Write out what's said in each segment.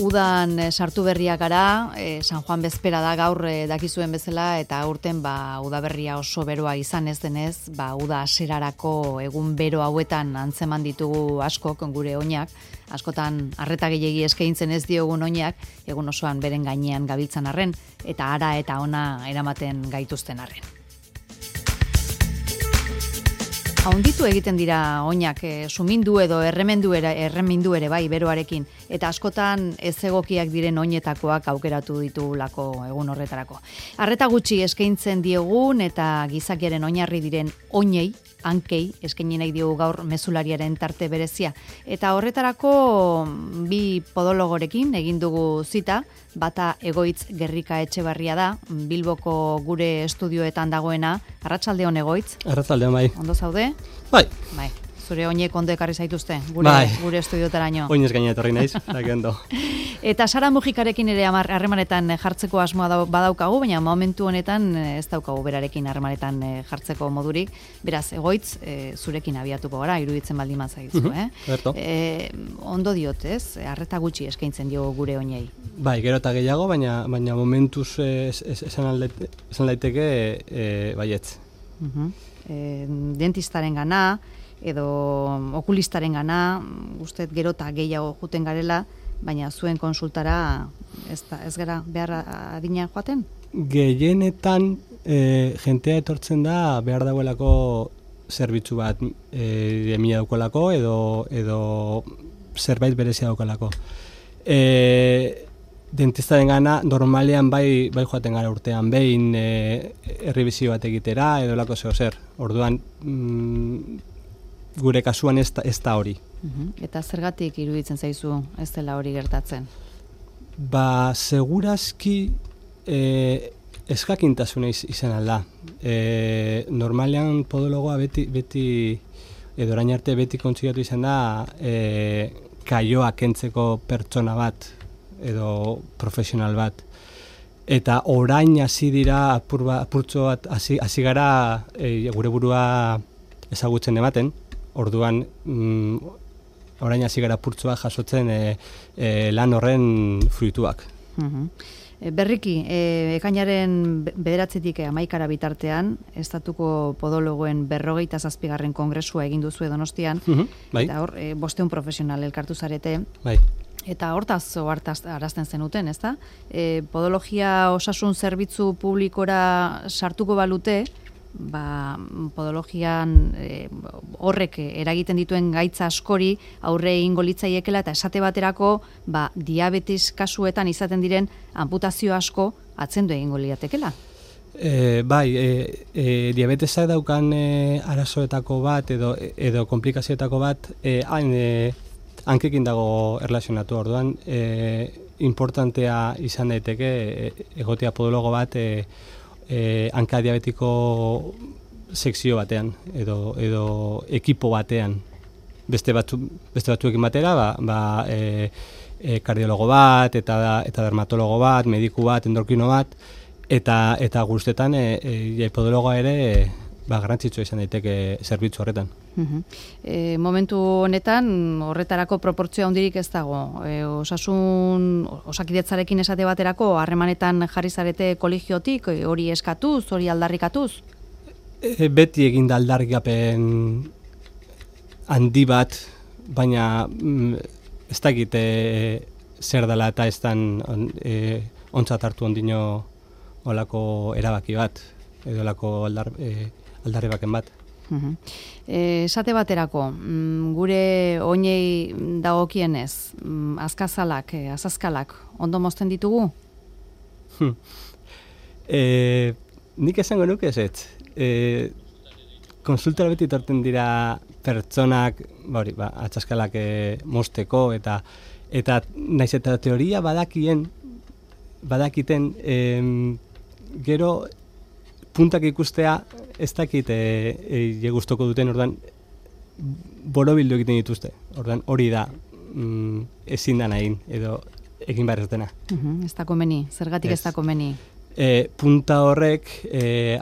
udan sartu berriak gara, San Juan bezpera da gaur dakizuen bezala, eta aurten udaberria oso beroa izan ez denez, uda hasierarako egun bero hauetan antzeman ditugu askok gure oinak, askotan arreta gehiegi eskaintzen ez diogun oinak, egun osoan beren gainean gabiltzan arren, eta ara eta ona eramaten gaituzten arren. Onditu egiten dira oinak, sumindu edo erremindu ere bai beroarekin, eta askotan ez egokiak diren oinetakoak aukeratu ditugulako egun horretarako. Arreta gutxi eskaintzen diegun eta gizakiaren oinarri diren oinei, hankei, eskaini nahi diogu gaur mezulariaren tarte berezia. Eta horretarako bi podologorekin egin dugu zita, bata Egoitz Gerrika Etxebarria da, Bilboko gure estudioetan dagoena. Arratsaldeon Egoitz. Arratsaldeon bai. Ondo zaude? Bai. Bai. Zure oinek ondo ekarri zaituzte, gure estudiotaraino. Oinez gaina etorri naiz, ondo. Eta Sara Mujikarekin ere harremanetan jartzeko asmoa badaukagu, baina momentu honetan ez daukagu berarekin harremanetan jartzeko modurik. Beraz, Egoitz, zurekin abiatuko gara, iruditzen baldin mazaizu, ondo diot, ez? Arreta gutxi eskaintzen dio gure oinei. Bai, gero eta gehiago, baina momentuz esan daiteke baietz. Dentistaren gana, edo okulistaren gana, uste gero eta gehiago juten garela, baina zuen konsultara ez gara behar adina joaten? Gehienetan jentea etortzen da behar dagoelako zerbitzu bat emila daukolako edo zerbait berezia daukolako. Dentistaren gana normalean bai joaten gara urtean behin errebizio bat egitera edo lako zer. Orduan gure kasuan ez da hori. Eta zergatik iruditzen zaizu ez dela hori gertatzen? Segurazki eskakintasuna izan alda. Normalean podologoa beti edo orain arte beti kontsigatu izan da kaioa kentzeko pertsona bat edo profesional bat. Eta orain hasi dira apurtxo bat hasi gara gure burua ezagutzen ematen. Orduan, orain hasi gara apurtxoa jasotzen lan horren fruituak. Berriki, ekainaren 9-tik 11 bitartean, Estatuko Podologoen 47. Kongresua egin duzu Donostian, bai. Eta hor, 500 profesional elkartu zarete. Bai. Eta hortaz arazten zenuten, ezta? Podologia osasun zerbitzu publikora sartuko balute, podologian horrek eragiten dituen gaitza askori aurre egingo litzaiekela eta esate baterako diabetes kasuetan izaten diren amputazio asko atzendu egingo liatekela. Bai, diabetesak daukan arazoetako bat edo komplikazioetako bat hankekin dago erlazionatu. Orduan importantea izan daiteke egotea podologo bat hanka diabetiko sekzio batean edo ekipo batean beste batzuekin batera kardiologo bat eta dermatologo bat, mediku bat, endorkrino bat eta guztetan podologoa ere garrantzitsua izan daiteke zerbitzu horretan. Momentu honetan horretarako proportzioa handirik ez dago. Osakidetzarekin esate baterako harremanetan jarri zarete kolegiotik, hori eskatuz, hori aldarrikatuz? Beti egin da aldarrikapen handi bat, baina ez dakit zer dela eta ez dan ontzat hartu ondino olako erabaki bat, edo olako aldarri baken bat. Esate baterako, gure oinei dagokienez, azkazalak, azazkalak, ondo mozten ditugu? Nik esango nuke ez. Konsultora beti torten dira pertsonak, atzaskalak mozteko eta naiz eta teoria badakiten gero puntak ikustea ez dakit gustoko duten, orduan borobildu egiten dituzte. Orduan hori da ezin da nahin edo egin behar ez dena. Ez da komeni, zergatik ez da komeni? Punta horrek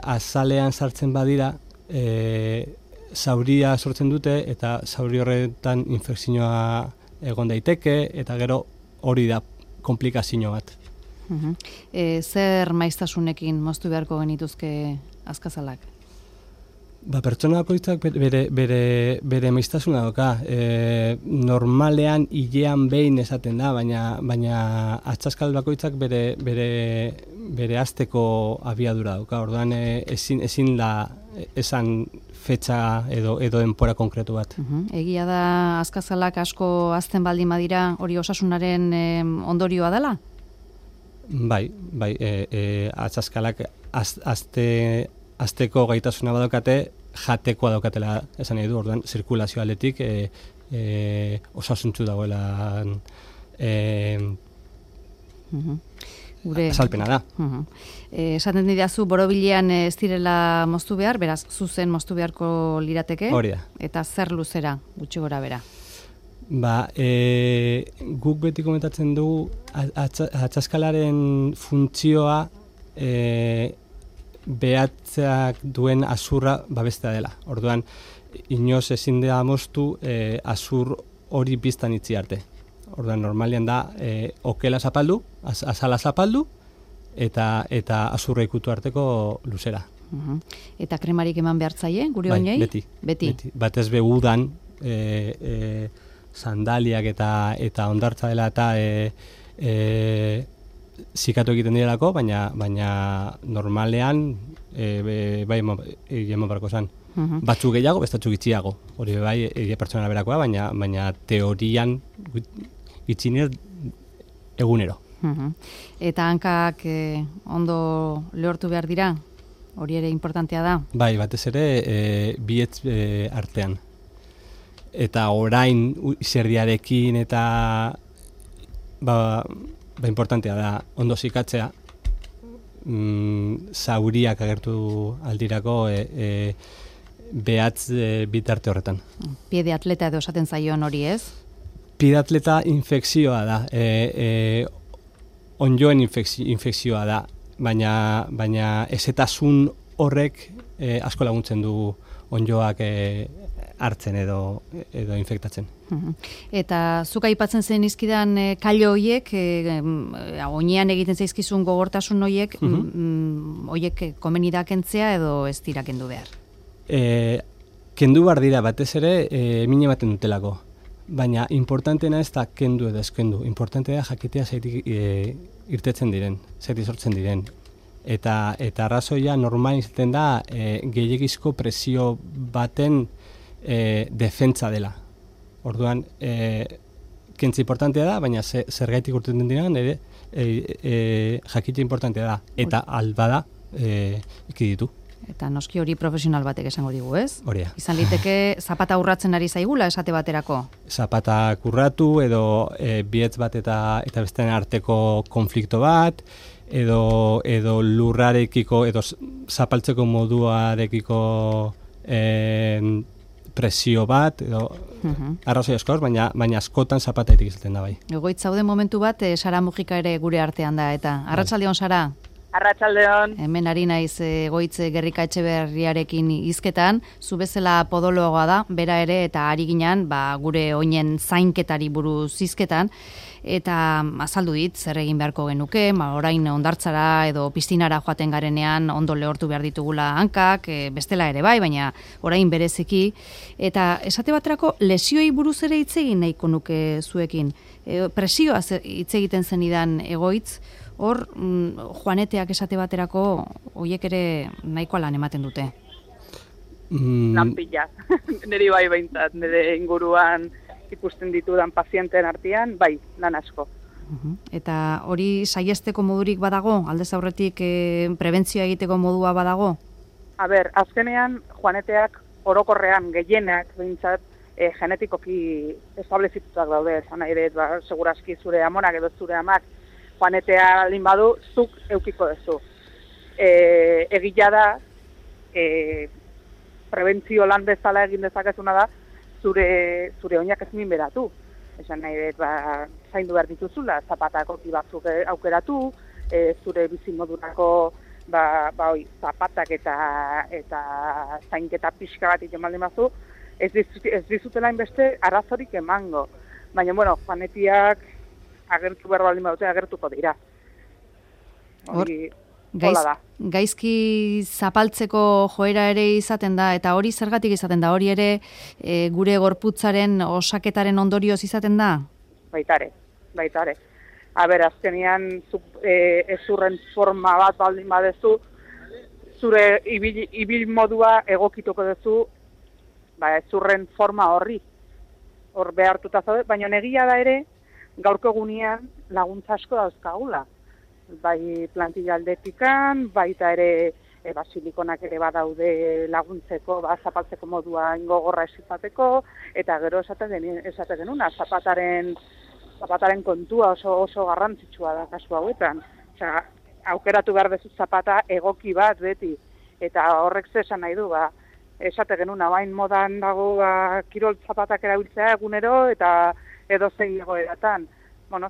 azalean sartzen badira zauria sortzen dute eta zauri horretan infekzioa egon daiteke eta gero hori da komplikazio bat. Zer maiztasunekin moztu beharko genituzke azkazalak? Pertsona bakoitzak bere maiztasuna doka. Normalean hilean behin esaten da, baina atxaskal bakoitzak bere asteko abiadura doka. Orduan ezin da esan fetxa edo denpora konkretu bat. Egia da azkazalak asko azten baldin badira hori osasunaren ondorioa dela? Bai, atxaskalak azteko gaitasuna badaukate, jatekoa daukatela esan nahi du, orduan zirkulazio aldetik osasuntzu dagoela azalpena da. Esaten didazu, borobilean ez direla moztu behar, beraz, zuzen moztu beharko lirateke? Hori da. Eta zer luzera, gutxi gora bera? Guk beti komentatzen dugu atxaskalaren funtzioa behatzeak duen azurra babestea dela. Orduan, inoz ezin da moztu azur hori biztan itzi arte. Orduan, normalian da okela zapaldu, azala zapaldu, eta azurra ikutu arteko luzera. Eta kremarik eman behartzaie, gure oinei? Beti. Batez be udan, sandaliak eta ondartza dela eta zikatu egiten direlako, baina normalean bai eman barko zan. Batzuk gehiago, bestatxuk gitxiago. Hori bai pertsona berakoa, baina teorian gitxinez egunero. Eta hankak ondo lehortu behar dira? Hori ere importantea da? Bai, batez ere bietz artean. Eta orain izerdiarekin eta importantea da ondo zikatzea, zauriak agertu aldirako behatz bitarte horretan. Piede atleta edo esaten zaion hori ez? Piede atleta infekzioa da, onjoen infekzioa da, baina ezetasun horrek asko laguntzen du onjoak hartzen edo infektatzen. Eta zuk aipatzen zen izkidan kailo horiek, oinean egiten zaizkizun gogortasun horiek, horiek komeni da kentzea edo ez dira kendu behar? Kendu behar dira, batez ere mine ematen dutelako. Baina importanteena ez da kendu edo ezkendu. Importantea jakitea zaitik irtetzen diren, zaitik sortzen diren. Eta arrazoia normalen izaten da gehiagizko presio baten defentsa dela. Orduan, kentzi importantea da, baina zergaitik urteten diren jakitea importantea da. Eta albada ikiditu. Eta noski hori profesional batek esango digu, ez? Horia. Izan liteke zapata urratzen ari zaigula esate baterako? Zapatak urratu edo bietz bat eta bestean arteko konflikto bat, edo lurrarekiko, edo zapaltzeko moduarekiko presio bat, edo arrazoi askoz, baina askotan zapataitik izaten da bai. Egoitz zaude momentu bat, Sara Mujika ere gure artean da, eta arratsaldeon Sara? Arratsaldeon. Hemen ari naiz Egoitz Gerrika Etxeberriarekin hizketan, zu bezala podologoa da, bera ere, eta ari ginean, gure oinen zainketari buruz hizketan, eta azaldu dit, zer egin beharko genuke, orain ondartzara edo piztinara joaten garenean ondo lehortu behar ditugula hankak, bestela ere bai, baina orain bereziki, eta esate baterako lesioei buruz ere hitz egin nahiko nuke zuekin. Presioa hitz egiten zenidan Egoitz, hor, joaneteak esate baterako, horiek ere nahikoa lan ematen dute. Lan pila. Niri bai behintzat, nire inguruan ikusten ditudan pazienten artean, bai, lan asko. Eta hori saiesteko modurik badago? Aldez aurretik prebentzioa egiteko modua badago? Azkenean, joaneteak orokorrean gehienak behintzat genetikoki establezituak daude, esan nahi dut, segurazki zure amonak edo zure amak joanetea aldin badu, zuk eukiko duzu. Egia da, prebentzio lan bezala egin dezakezuna da, zure oinak ez minberatu. Esan nahi dut, zaindu behar dituzula, zapatako batzuk aukeratu, zure bizimodurako zapatak eta zainketa pixka bat iten baldin bazu, ez dizutela inbeste arazorik emango. Baina, joanetiak agertu behar baldin badute agertuko dira. Hori hola da. Gaizki zapaltzeko joera ere izaten da, eta hori zergatik izaten da, hori ere gure gorputzaren osaketaren ondorioz izaten da? Baitare. Azkenian ezurren forma bat baldin badezu, zure ibil modua egokituko duzu ezurren forma horri. Hor behartuta zaude, baina egia da ere, gaurko egunean laguntza asko dauzkagula. Bai plantilla aldetikan, baita ere silikonak ere badaude laguntzeko, zapaltzeko modua ingogorra esizateko, eta gero esate genuna, zapataren kontua oso garrantzitsua da kasu hauetan. Osea, aukeratu behar dezu zapata egoki bat beti, eta horrek zesan nahi du, esate genuna, bain modan dago kirol zapatak erabiltzea egunero, eta edozein egoeratan.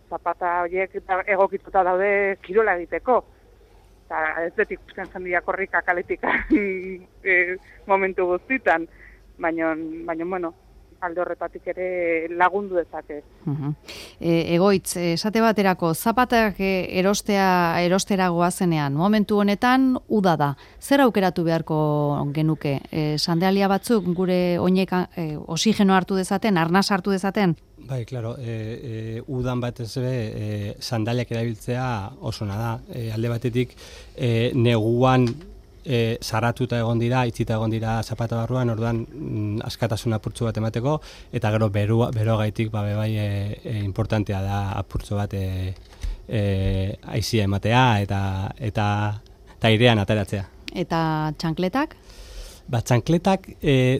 Zapata horiek egokituta daude kirola egiteko. Eta ez betik uzken jendia korrika kaletik momentu guztitan. Baina, alde horretatik ere lagundu dezake. Egoitz, esate baterako, zapatak erostera goazenean, momentu honetan uda da. Zer aukeratu beharko genuke? Sandalia batzuk gure oinek oxigeno hartu dezaten, arnas hartu dezaten? Bai, claro, udan batez ere sandaliak erabiltzea osona da. Alde batetik neguan saratuta egon dira, itzita egon dira zapata barruan, orduan askatasun apurtzu bat emateko, eta gero beroagaitik bai importantea da apurtzu bat aizia ematea eta airean ateratzea. Eta txankletak? Txankletak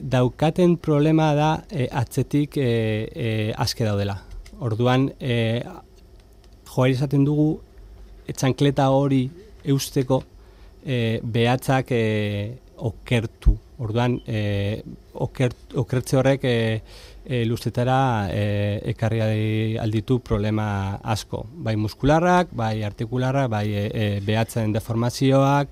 daukaten problema da atzetik aske daudela. Orduan, joari esaten dugu, txankleta hori eusteko behatzak okertu. Orduan, okertze horrek luztetara ekarri alditu problema asko. Bai muskularrak, bai artikularrak, bai behatzen deformazioak,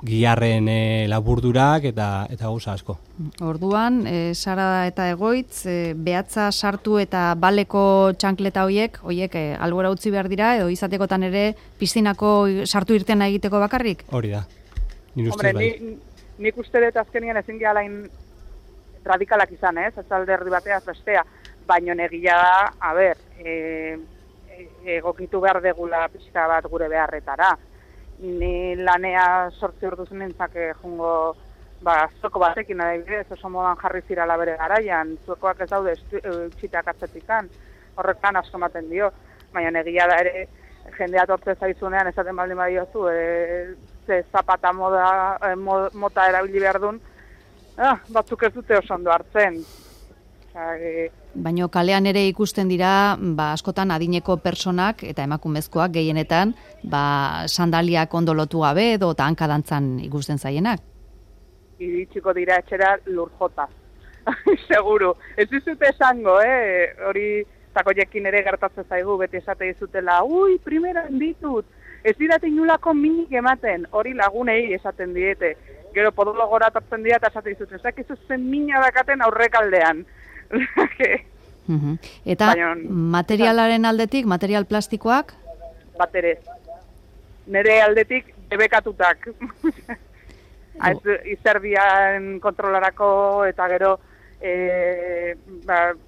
giharren laburdurak eta gauza asko. Orduan, Sara eta Egoitz, behatza sartu eta baleko txankleta horiek albora utzi behar dira, edo izatekotan ere piztinako sartu irtena egiteko bakarrik? Hori da. Hombre, nik uste dut azkenian ezin gehala radikalak izan, ez alde erdi bateaz bestea, baino egia da, egokitu behar degula pixka bat gure beharretara. Ni lanea 8 orduz nintzake jungo zueko batekin adibidez, oso modan jarri zirala bere garaian, zuekoak ez daude txitak atzetikan, horrekan asko ematen dio, baina egia da ere jendea tortze zaizunean esaten baldin badiozu, ze zapata mota erabili behar duen, batzuk ez dute oso ondo hartzen. Baina kalean ere ikusten dira, askotan adineko personak eta emakumezkoak gehienetan, sandaliak ondo lotu gabe edo hankadantzan ikusten zaienak. Iritsiko dira etxera lurjota. Seguru. Ez dizute esango, hori takoiekin ere gertatzen zaigu, beti esate dizutela, primeran ditut, ez dirate inulako minik ematen, hori lagunei esaten diete. Gero podologora atortzen dira eta esate dizuten, ez dakizu zen mina dakaten aurrekaldean. Eta materialaren aldetik, material plastikoak? Bat ere. Nire aldetik debekatutak. Izerdian kontrolarako eta gero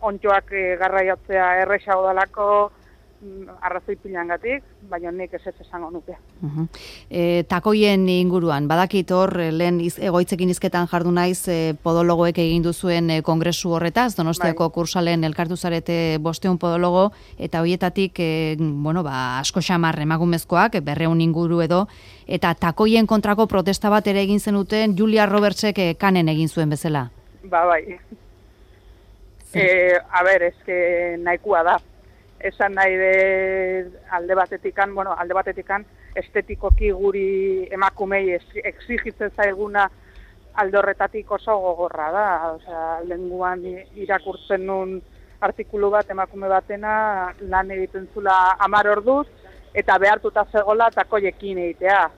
ontxoak garraiatzea errexago dalako arrazoi pilangatik, baina nik ez esango nuke. Takoien inguruan, badakit hor, lehen Egoitzekin hizketan jardu naiz podologoek egin duzuen kongresu horretaz, Donostiako kursalen elkartu zarete 500 podologo, eta horietatik asko xamar emakumezkoak, 200 inguru edo, eta takoien kontrako protesta bat ere egin zenuten Julia Robertsek kanen egin zuen bezala. Bai. Eske nahikoa da. Esan nahi de alde batetikan estetikoki guri emakumei exigitzen zaiguna alde horretatik oso gogorra da. Osea, lenguan irakurtzen nun artikulu bat emakume batena lan egiten zula 10 orduz eta behartuta zegola takoiekin egitea.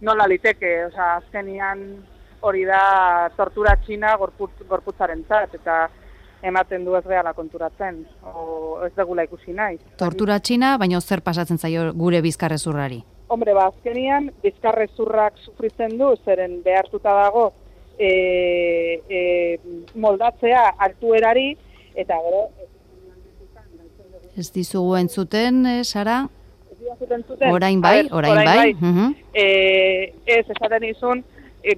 Nola liteke, osea, azkenian hori da tortura txina gorputzarentzat eta ematen du ez gehala konturatzen, o ez degula ikusi nahi. Tortura txina, baina zer pasatzen zaio gure bizkarrezurrari? Hombre, azkenian, bizkarrezurrak sufritzen du, zeren behartuta dago moldatzea altuerari, eta gero... Ez dizugu entzuten, Sara? Ez dizugu entzuten? Orain bai. Ez, esaten izun,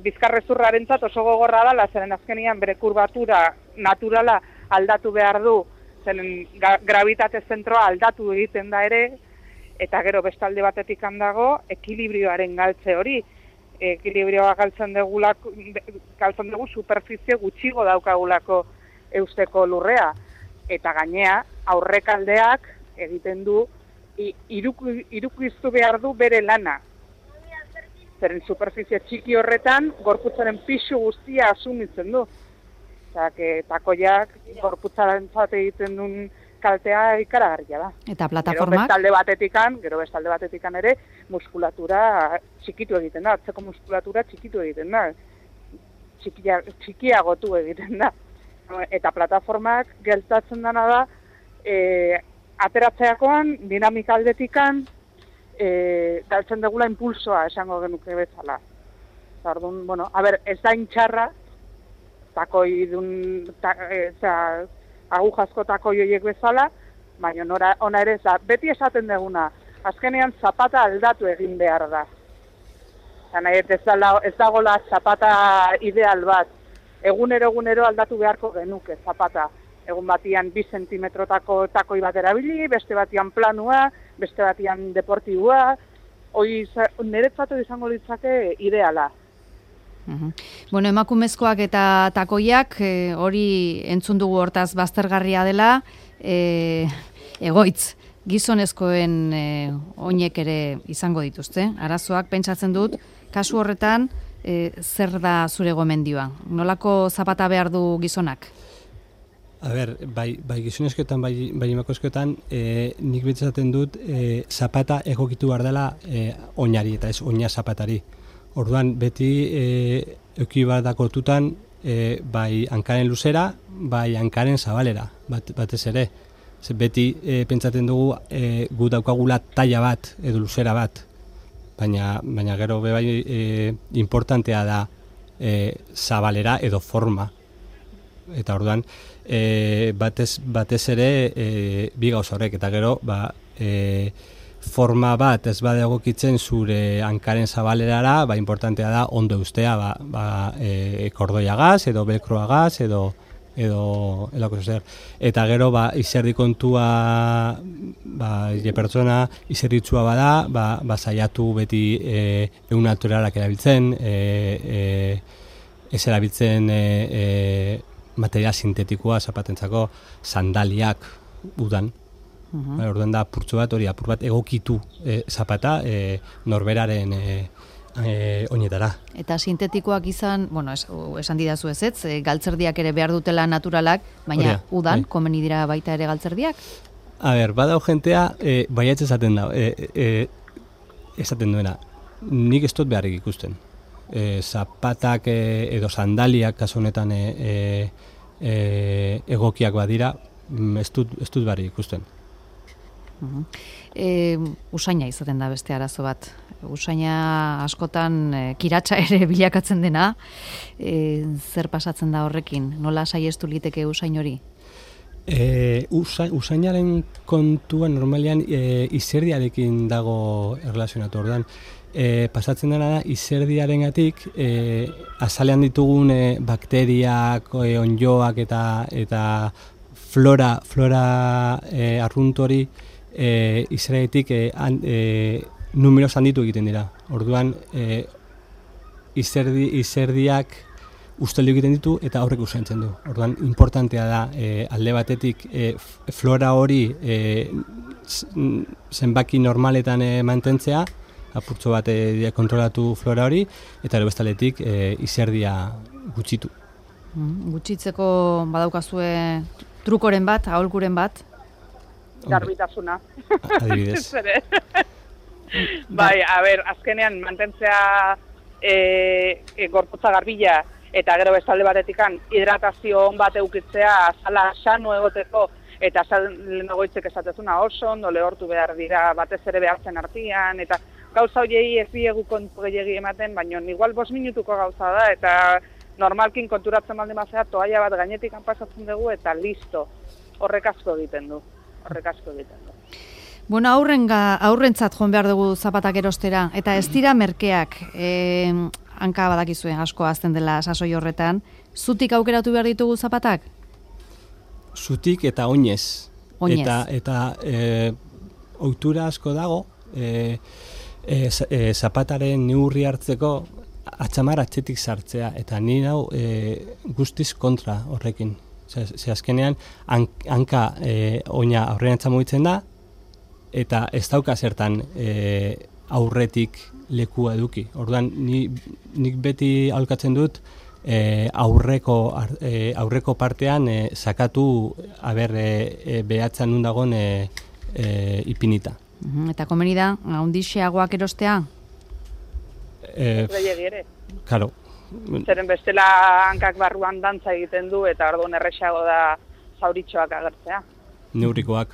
bizkarrezurrarentzat oso gogorra dela, zeren azkenian bere kurbatura naturala aldatu behar du, zeren gravitate zentroa aldatu egiten da ere, eta gero bestalde batetik handago, ekilibrioaren galtze hori. Ekilibrioa galtzen dugu superfizie gutxigo daukagulako eusteko lurrea. Eta gainea, aurrekaldeak egiten du, irukiztu behar du bere lana. Zeren superfizie txiki horretan, gorputzaren pisu guztia asumitzen du. Eta, takoiak gorputzaren egiten duen kaltea ikaragarria da. Eta plataformak? Gero bestalde batetikan ere, muskulatura txikitu egiten da, atzeko muskulatura txikitu egiten da, txikiagotu egiten da. Eta plataformak geltatzen dena da, ateratzeakoan, dinamika aldetikan, galtzen degula impulsoa esango genuke bezala. Zardun, ez da intxarra, takoi agujazko takoi horiek bezala, baina ona ere beti esaten deguna, azkenean zapata aldatu egin behar da. Ez dagoela zapata ideal bat. Egunero aldatu beharko genuke zapata. Egun batian 2 zentimetrotako takoi bat erabili, beste batian planua, beste batian deportibua, niretzat izango ditzake ideala. Bueno, emakumezkoak eta takoiak, hori entzun dugu hortaz baztergarria dela, egoitz, gizonezkoen oinek ere izango dituzte. Arazoak pentsatzen dut, kasu horretan, zer da zure gomendioa? Nolako zapata behar du gizonak? A ber, bai gizonezkoetan, bai emakumezkoetan, nik pentsatzen dut, zapata egokitu behar dela oinari eta ez oina zapatari. Orduan, beti euki bat dakotutan, bai hankaren luzera, bai hankaren zabalera, batez ere. Beti pentsatzen dugu gu daukagula taila bat edo luzera bat, baina gero bai importantea da zabalera edo forma. Eta orduan, batez ere bi gauza horrek, eta gero forma bat ez bada egokitzen zure hankaren zabalerara, importantea da ondo eustea, kordoiagaz edo belkroagaz edo elako zer. Eta gero izerdi kontua, pertsona izerditsua bada, saiatu beti egun naturalak erabiltzen, ez erabiltzen material sintetikoa zapatentzako, sandaliak udan. Orduan da apurtxo bat, apur bat egokitu zapata norberaren oinetara. Eta sintetikoak izan, esan didazu ez, galtzerdiak ere behar dutela naturalak, baina udan, komeni dira baita ere galtzerdiak? A ber, badau jentea, baiatz esaten da, esaten duena, nik ez dut beharrik ikusten. Zapatak edo sandaliak kasu honetan egokiak badira, ez dut beharrik ikusten. Usaina izaten da beste arazo bat. Usaina askotan kiratsa ere bilakatzen dena. Zer pasatzen da horrekin? Nola saiestu liteke usain hori? Usainaren kontua normalean izerdiarekin dago erlazionatu. Orduan, pasatzen dena da izerdiarengatik azalean ditugun bakteriak, onjoak eta flora arrunt hori izerdiatik numeroz handitu egiten dira. Orduan, izerdiak usteldu egiten ditu eta horrek usaintzen du. Orduan, importantea da alde batetik flora hori zenbaki normaletan mantentzea, apurtxo bat kontrolatu flora hori, eta bestaletik izerdia gutxitu. Gutxitzeko badaukazue trukoren bat, aholkuren bat? Garbitasuna. Adibidez. Bai, azkenean mantentzea gorputza garbila eta gero bestalde batetikan hidratazio on bat eukitzea, azala sano egoteko, eta lehenagoitzek esatezuna oso ondo lehortu behar dira batez ere behartzen artean, eta gauza horiei ez diegu kontu gehiagi ematen, baina igual 5 minutuko gauza da, eta normalkin konturatzen baldin bazea toalla bat gainetik pasatzen dugu, eta listo, horrek asko egiten du. Bueno, aurrentzat joan behar dugu zapatak erostera, eta ez dira merkeak, hanka badakizue asko azten dela sasoi horretan, zutik aukeratu behar ditugu zapatak? Zutik eta oinez. Eta ohitura asko dago, zapataren neurri hartzeko atxamar atzetik sartzea, eta ni hau guztiz kontra horrekin. Ze azkenean, hanka oina aurrerantza mugitzen da, eta ez dauka zertan aurretik lekua eduki. Orduan, nik beti aholkatzen dut aurreko partean sakatu behatzen nun dagoen ipinita. Eta komeni da, handixeagoak erostea? Gehiegi ere. Claro. Zeren bestela hankak barruan dantza egiten du, eta orduan erresago da zauritxoak agertzea. Neurrikoak,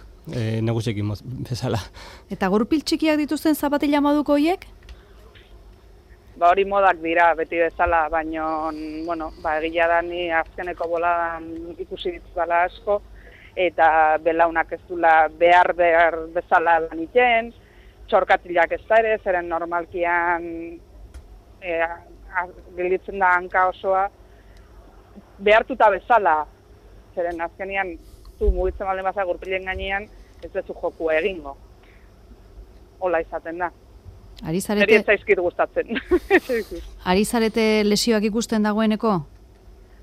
nagusekin bezala. Eta gurpil txikiak dituzten zapatila moduko hoiek? Hori modak dira beti bezala, baina egia da ni azkeneko boladan ikusi dituzala asko, eta belaunak ez dula behar bezala lan iten, txorkatilak ez da ere, zeren normalkian gelditzen da hanka osoa behartuta bezala, zeren azkenean zu mugitzen baldin baza gurpilen gainean ez duzu jokua egingo. Hola izaten da. Eri ez zaizkit gustatzen. Ari zarete lesioak ikusten dagoeneko?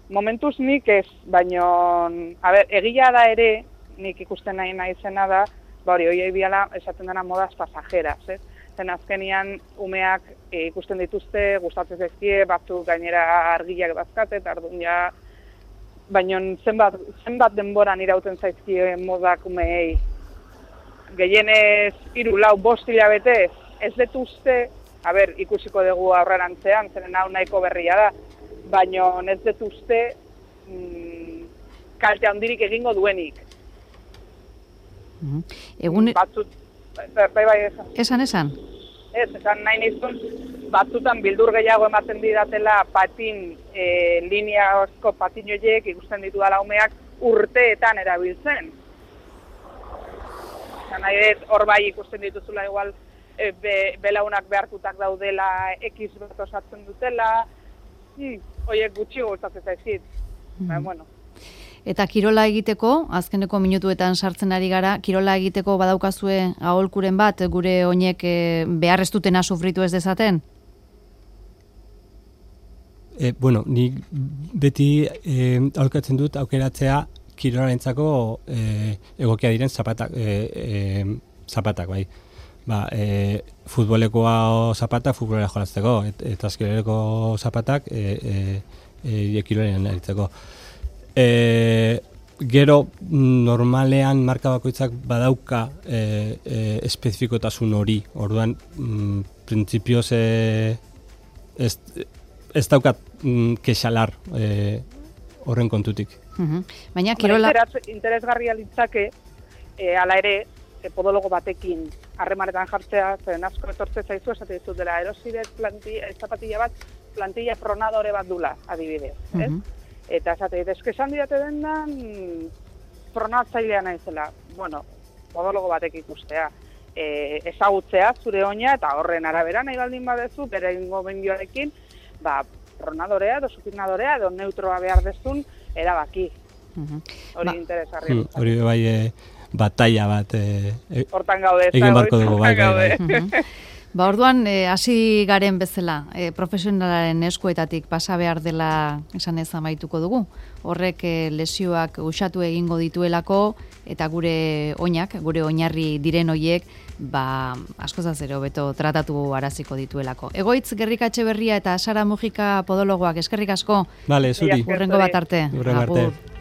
Momentuz nik ez, baina egia da ere, nik ikusten nahi zena da, hori biala esaten dena modaz pasajeras, ez? Zen azkenian umeak ikusten dituzte, gustatzen zaizkie, batzuk gainera argiak bazkate, eta orduan ja, baina zenbat denboran irauten zaizkie modak umeei. Gehienez 3-4 hilabetez, ez dut uste, ikusiko dugu aurrerantzean, zeren hau nahiko berria da, baina ez dut uste kalte handirik egingo duenik. Batzut, bai, esan. Esan nahi nizun, batzutan bildur gehiago ematen didatela patin, lineazko patin horiek ikusten ditu dala umeak urteetan erabiltzen. Hor bai ikusten dituzula igual belaunak behartutak daudela, X bat osatzen dutela, horiek gutxi gustatzen zaizkit. Eta kirola egiteko, azkeneko minutuetan sartzen ari gara, kirola egiteko badaukazue aholkuren bat, gure oinek behar ez dutena sufritu ez dezaten? Ni beti aholkatzen dut aukeratzea kirolarentzako egokia diren zapatak, bai. Futbolekoa zapatak futbolera jolazteko, eta azkereleko zapatak kirolean aritzeko. Gero normalean marka bakoitzak badauka espezifikotasun hori, orduan printzipioz ez daukat kexalar horren kontutik. Baina kirola... Interesgarria litzake, ala ere, podologo batekin harremanetan jartzea, zeren asko etortze zaizu, esate dizut dela, erosiret zapatilla bat, plantilla pronadore bat dula, adibidez, ez? Eta esate dit, esan didate dendan pronatzailea naizela. Podologo batek ikustea. Ezagutzea zure oina eta horren arabera nahi baldin badezu, bere gomendioarekin, pronadorea edo supinadorea edo neutroa behar dezun erabaki. Hori interesgarri. Hori bai batalla bat hortan gaude. Egin barko dugu, bai. Orduan, hasi garen bezala, profesionalaren eskuetatik pasa behar dela esan ez amaituko dugu. Horrek lesioak usatu egingo dituelako, eta gure oinak, gure oinarri diren hoiek, askozaz ere hobeto tratatu araziko dituelako. Egoitz Gerrikatxe Berria eta Sara Mujika podologoak, eskerrik asko. Vale, zuri. Hurrengo bat arte. Hurrengo arte.